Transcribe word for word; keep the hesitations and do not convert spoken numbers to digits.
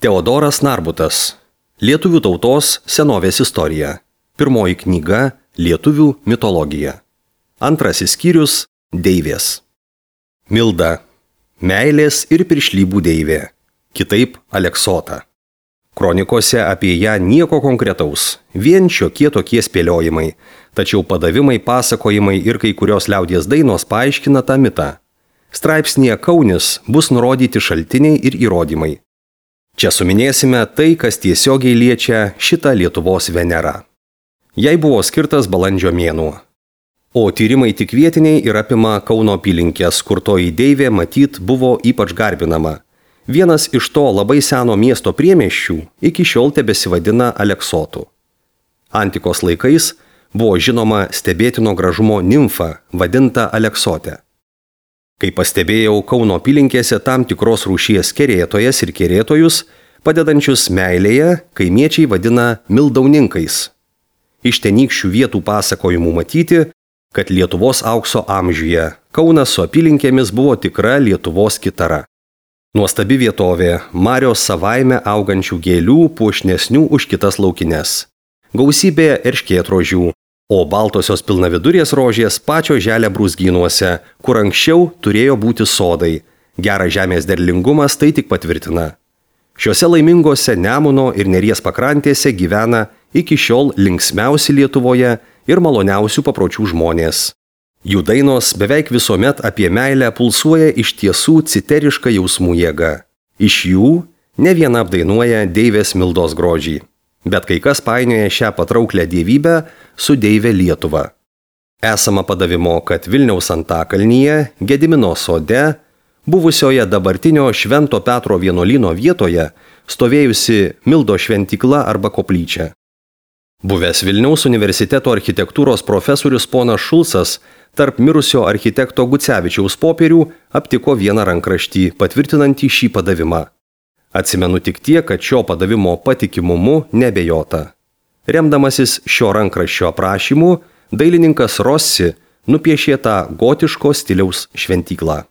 Teodoras Narbutas. Lietuvių tautos senovės istorija. Pirmoji knyga Lietuvių mitologija. Antrasis skyrius Deivės. Milda. Meilės ir piršlybų deivė. Kitaip Aleksota. Kronikose apie ją nieko konkretaus, vien šiokie tokie spėliojimai, tačiau padavimai, pasakojimai ir kai kurios liaudies dainos paaiškina tą mitą. Straipsnėje Kaunis bus nurodyti šaltiniai ir įrodymai. Čia suminėsime tai, kas tiesiogiai liečia šitą Lietuvos Venerą. Jai buvo skirtas balandžio mėnuo. O tyrimai tik vietiniai ir apima Kauno apylinkės, kur toji deivė matyt buvo ypač garbinama. Vienas iš to labai seno miesto priemiesčių iki šiol tebesivadina Aleksotu. Antikos laikais buvo žinoma stebėtino gražumo nimfa, vadinta Aleksotė. Kai pastebėjau Kauno apylinkėse tam tikros rūšies kerėtojas ir kerėtojus, padedančius meilėje, kaimiečiai vadina mildauninkais. Iš tenykščių vietų pasakojimų matyti, kad Lietuvos aukso amžiuje Kaunas su apylinkėmis buvo tikra Lietuvos kitara. Nuostabi vietovė, marios savaime augančių gėlių puošnesnių už kitas laukines. Gausybė erškėtrožių, o baltosios pilnavidurės rožės pačio želė brūzgynuose, kur anksčiau turėjo būti sodai. Geras žemės derlingumas tai tik patvirtina. Šiuose laimingose Nemuno ir Neries pakrantėse gyvena iki šiol linksmiausi Lietuvoje ir maloniausių papročių žmonės. Jų dainos beveik visuomet apie meilę pulsuoja iš tiesų citeriška jausmų jėga. Iš jų ne viena apdainuoja deivės Mildos grožį. Bet kai kas painioja šią patrauklę dievybę su deivė Lietuva. Esama padavimo, kad Vilniaus Antakalnyje, Gedimino sode, buvusioje dabartinio Švento Petro vienuolyno vietoje, stovėjusi Mildo šventykla arba koplyčia. Buvęs Vilniaus universiteto architektūros profesorius ponas Šulcas tarp mirusio architekto Gucevičiaus popierių aptiko vieną rankraštį, patvirtinantį šį padavimą. Atsimenu tik tiek, kad šio padavimo patikimumu nebejota. Remdamasis šio rankraščio aprašymu, dailininkas Rossi nupiešė tą gotiško stiliaus šventyklą.